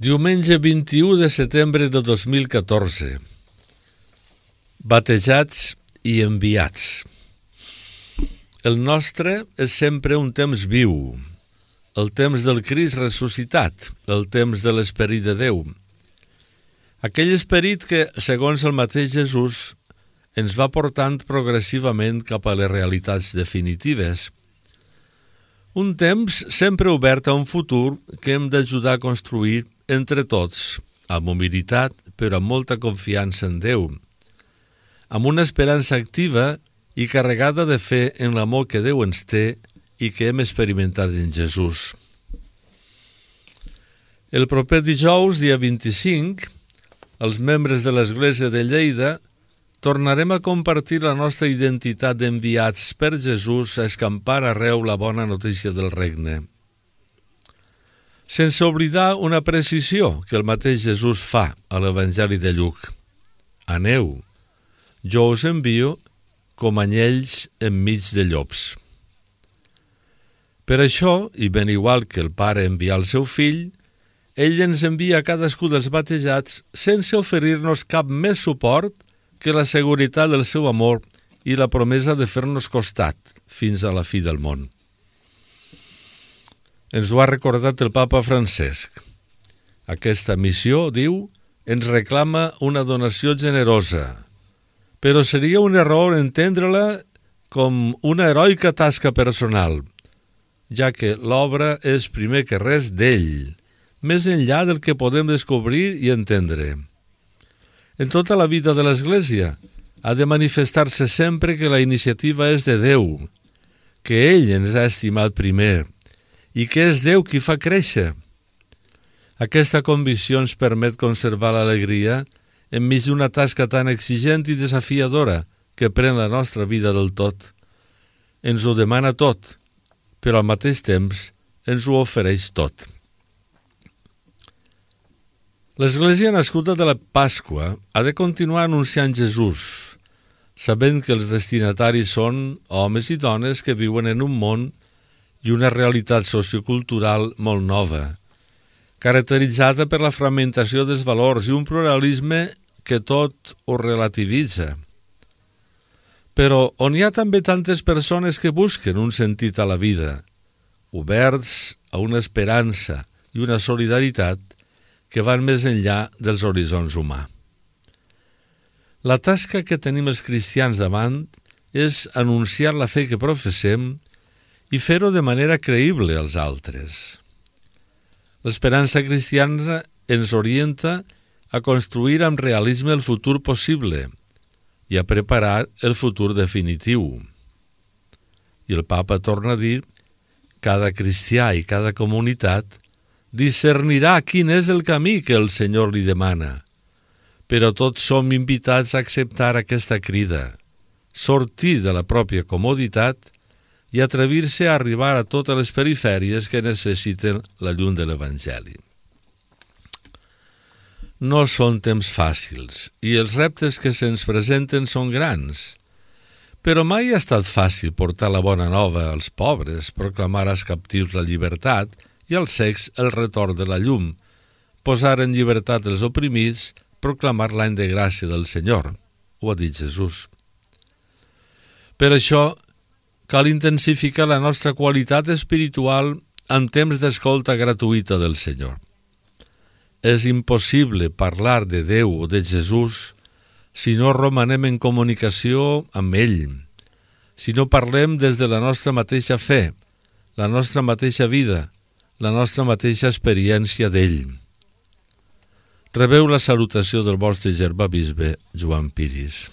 Diumenge 21 de setembre de 2014. Batejats i enviats. El nostre és sempre un temps viu, el temps del Crist ressuscitat, el temps de l'Esperit de Déu. Aquell esperit que, segons el mateix Jesús, ens va portant progressivament cap a les realitats definitives. Un temps sempre obert a un futur que hem d'ajudar a construir entre tots, amb humilitat, però amb molta confiança en Déu, amb una esperança activa i carregada de fe en l'amor que Déu ens té i que hem experimentat en Jesús. El proper dijous, dia 25, els membres de l'Església de Lleida tornarem a compartir la nostra identitat d'enviats per Jesús a escampar arreu la bona notícia del regne. Sense oblidar una precisió que el mateix Jesús fa a l'Evangeli de Lluc. Aneu, jo us envio com anyells enmig de llops. Per això, i ben igual que el Pare envia el seu fill, ell ens envia a cadascú dels batejats sense oferir-nos cap més suport que la seguretat del seu amor i la promesa de fer-nos costat fins a la fi del món. Ens ho ha recordat el Papa Francesc. Aquesta missió, diu, ens reclama una donació generosa, però seria un error entendre-la com una heroica tasca personal, ja que l'obra és primer que res d'ell, més enllà del que podem descobrir i entendre. En tota la vida de l'Església ha de manifestar-se sempre que la iniciativa és de Déu, que ell ens ha estimat primer i que és Déu qui fa créixer. Aquesta convicció ens permet conservar l'alegria enmig d'una tasca tan exigent i desafiadora que pren la nostra vida del tot. Ens ho demana tot, però al mateix temps ens ho ofereix tot. L'Església nascuda de la Pasqua ha de continuar anunciant Jesús, sabent que els destinataris són homes i dones que viuen en un món i una realitat sociocultural molt nova, caracteritzada per la fragmentació dels valors i un pluralisme que tot ho relativitza. Però on hi ha també tantes persones que busquen un sentit a la vida, oberts a una esperança i una solidaritat que van més enllà dels horitzons humans. La tasca que tenim els cristians davant és anunciar la fe que professem i fer-ho de manera creïble als altres. L'esperança cristiana ens orienta a construir amb realisme el futur possible i a preparar el futur definitiu. I el Papa torna a dir: cada cristià i cada comunitat discernirà quin és el camí que el Senyor li demana, però tots som invitats a acceptar aquesta crida, sortir de la pròpia comoditat i atrevir-se a arribar a totes les perifèries que necessiten la llum de l'Evangeli. No són temps fàcils i els reptes que se'ns presenten són grans, però mai ha estat fàcil portar la bona nova als pobres, proclamar als captius la llibertat i als cecs el retorn de la llum, posar en llibertat els oprimits, proclamar l'any de gràcia del Senyor, ho ha dit Jesús. Per això, cal intensificar la nostra qualitat espiritual en temps d'escolta gratuïta del Senyor. És impossible parlar de Déu o de Jesús si no romanem en comunicació amb ell, si no parlem des de la nostra mateixa fe, la nostra mateixa vida, la nostra mateixa experiència d'ell. Rebeu la salutació del vostre germà bisbe Joan Piris.